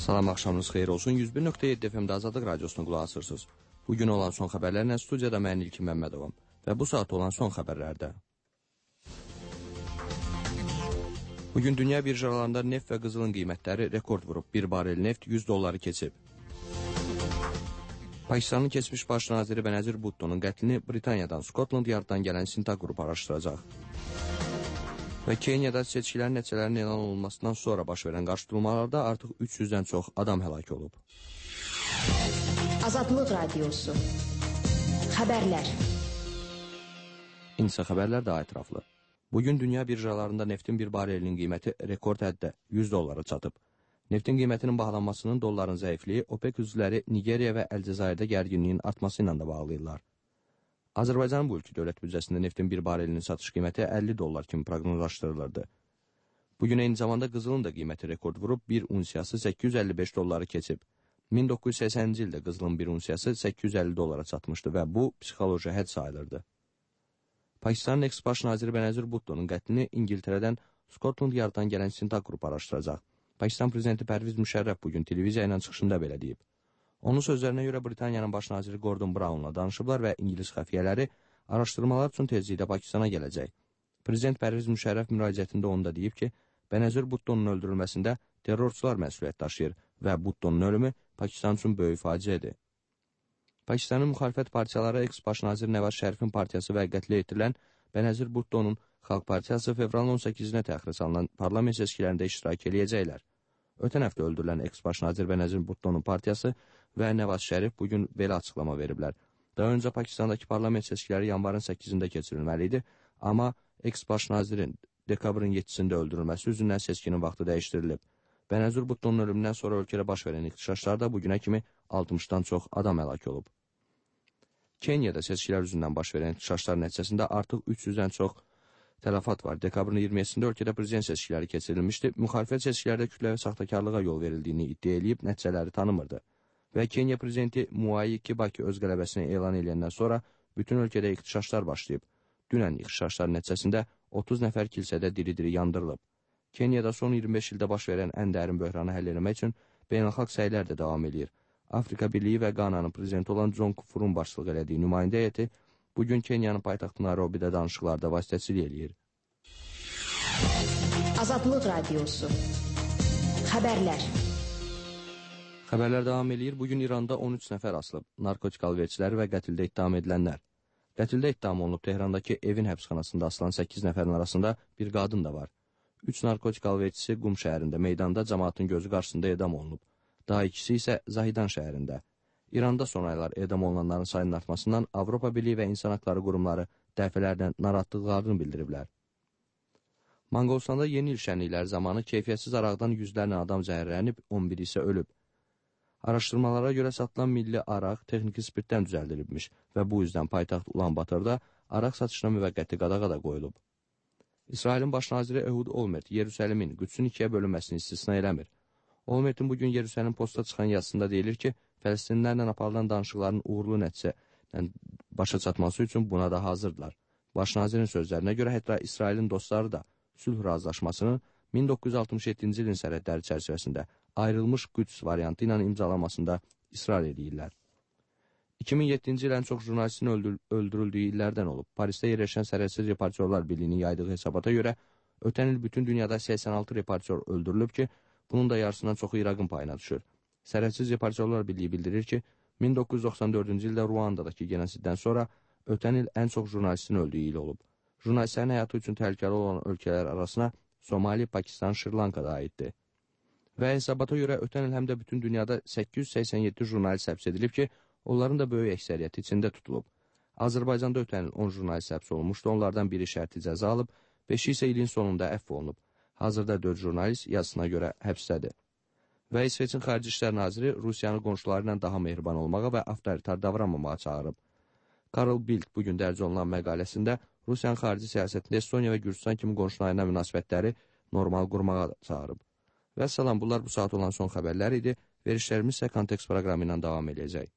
Salam, axşamınız xeyir olsun. 101.7 FM-də Azadlıq Radiosuna qulaq asırsınız. Bugün olan son xəbərlərlə studiyada mən İlkin Məmmədovam və bu saat olan son xəbərlərdə. Bugün dünya birjalarında neft və qızılın qiymətləri rekord vurub. Bir barel neft $100 keçib. Pakistanın keçmiş baş naziri Benazir Bhutto'nun qətlini Britaniyadan, Skotland Yarddan gələn istintaq qrupu araşdıracaq. Və Kenyada seçkilərin nəticələrinin elan olunmasından sonra baş verən qarşıdurmalarda artıq 300-dən çox adam həlak olub. Azadlıq Radiosu. Xəbərlər. İnsə xəbərlər daha ətraflı. Bugün dünya birjalarında neftin bir barelinin qiyməti rekord həddə $100 çatıb. Neftin qiymətinin bahalanmasının dolların zəifliyi OPEC üzvləri Nigeriya və Əlcəzairdə gərginliyin artması ilə də bağlayırlar. Azərbaycanın bu ülkə dövlət büdcəsində neftin bir barelinin satış qiyməti $50 kimi proqnozlaşdırılırdı. Bugün eyni zamanda qızılın da qiyməti rekord vurub, bir unsiyası $855 keçib. 1980-ci ildə qızılın bir unsiyası $850 çatmışdı və bu psixoloji hədd sayılırdı. Pakistanın eks-baş naziri Benazir Bhutto'nun qətlini İngiltərədən Skotland Yarddan gələn istintaq qrupu araşdıracaq. Pakistan prezidenti Pərviz Müşərrəf bugün televiziya ilə çıxışında belə deyib. Onun sözlərinə görə Britaniyanın baş naziri Gordon Brown'la danışıblar və İngilis xəfiyyələri araşdırmalar üçün tezliklə Pakistana gələcək. Prezident Pərviz Müşərrəf müraciətində onu da deyib ki, Benazir Bhutto'nun öldürülməsində terrorçular məsuliyyət daşıyır və Bhutto'nun ölümü Pakistan üçün böyük faciədir. Pakistanın müxalifət partiyaları eks-baş nazir Nəvaz Şərifin partiyası və qətlə yetirilən Benazir Bhutto'nun Xalq Partiyası fevralın 18-nə təxirə salınan parlament seçkilərində iştirak eləyəcəklər. Ötən həftə öldürülən eks-baş nazir Benazir Bhutto'nun partiyası və Nəvaz Şərif bugün belə açıqlama veriblər. Daha öncə Pakistandakı parlament seçkiləri yanvarın 8-də keçirilməli idi, amma eks-baş nazirin dekabrın 7-sində öldürülməsi üzündən seçkinin vaxtı dəyişdirilib. Benazir Bhutto'nun ölümündən sonra ölkədə baş verən ixtişaşlarda bugünə kimi 60-dan çox adam həlak olub. Kenyada seçkilər üzündən baş verən ixtişaşlar nəticəsində artıq 300-dən çox tələfat var. Dekabrın 27-sində ölkədə prezident seçkiləri keçirilmişdi. Müxalifət seçkilərdə kütləvi saxtakarlığa yol verildiğini iddia edib nəticələri tanımırdı. Və Kenya prezidenti Mwai Kibaki öz qələbəsini elan edəndən sonra bütün ölkədə ixtişaşlar başlayıb. Dünən ixtişaşlar nəticəsində 30 nəfər kilsədə diri-diri yandırılıb. Kenyada son 25 ildə baş verən ən dərin böhranı həll etmək üçün beynəlxalq səylər də davam edir. Afrika Birliyi və Qananın prezidenti olan John Kufurun başçılıq elədiyi nümayəndə heyəti bugün Kenyanın paytaxtı Nairobidə danışıqlarda vasitəçilik eləyir. Azadlıq Radiosu. Xəbərlər. Xəbərlər davam eləyir. Bugün İranda 13 nəfər asılıb. Narkotik alverçiləri və qətildə ittiham edilənlər. Qətildə ittiham olunub Tehrandakı evin həbsxanasında asılan 8 nəfərin arasında bir qadın da var. 3 narkotik alverçisi Qum şəhərində meydanda cəmaatın gözü qarşısında edam olunub. Daha ikisi isə Zahidan şəhərində. İranda son aylar edam olunanların sayının artmasından Avropa Birliyi və İnsan Haqları qurumları dəfələrlə narahatlıqlarını bildiriblər. Manqolistanda yeni il şənlikləri zamanı keyfiyyətsiz araqdan yüzlərlə adam zəhərlənib, 11 isə ölüb. Araşdırmalara görə satılan milli araq texniki spirtdən düzəldilibmiş və bu yüzdən paytaxt Ulan-Batırda araq satışına müvəqqəti qadağa qoyulub. İsrailin baş naziri Ehud Olmert Yerusəlimin Qüdsün ikiyə bölünməsini istisna eləmir. Olmertin bugün Yerusəlim Postda çıxan yazısında deyilir ki, Fələstinlərlə aparılan danışıqların uğurlu nəticələ başa çatması üçün buna da hazırdılar. Baş nazirin sözlərinə görə hətta İsrailin dostları da sülh razılaşmasının 1967-ci ilin sərhədləri çərçivəsində ayrılmış Qüds variantı ilə imzalanmasında israr edirlər. 2007-ci il ən çox jurnalistin öldürüldüyü illərdən olub. Parisdə yerləşən Sərhədsiz Reportyorlar Birliyinin yaydığı hesabata görə ötən il bütün dünyada 86 reportyor öldürülüb ki, bunun da yarısından çoxu İraqın payına düşür. Sərhədsiz Reportyorlar Birliyi bildirir ki, 1994-cü ildə Ruandadakı genosiddən sonra ötən il ən çox jurnalistin öldüyü il olub. Jurnalistlərin həyatı üçün təhlükəli olan ölkələr arasına Somali, Pakistan, Şri-Lanka da aiddir. Və hesabata görə ötən il həm də bütün dünyada 887 jurnalist həbs edilib ki, onların da böyük əksəriyyəti içində tutulub. Azərbaycanda ötən il 10 jurnalist həbs olunmuşdu, onlardan biri şərti cəza alıb, 5-i isə ilin sonunda əfv olunub. Hazırda 4 jurnalist yazısına görə həbsdədir. Və İsveçin Xarici İşlər Naziri Rusiyanın qonşuları ilə daha mehriban olmağa və avtoritar davranmamağa çağırıb. Karl Bildt bugün dərc olunan məqaləsində Rusiyanın xarici siyasətində Estoniya və Gürcistan kimi qonşularına münasibətləri normal qurmağa çağırıb. Və salam, bunlar bu saat olan son xəbərlər idi. Verişlərimiz isə Kontekst proqramı ilə davam edəcək.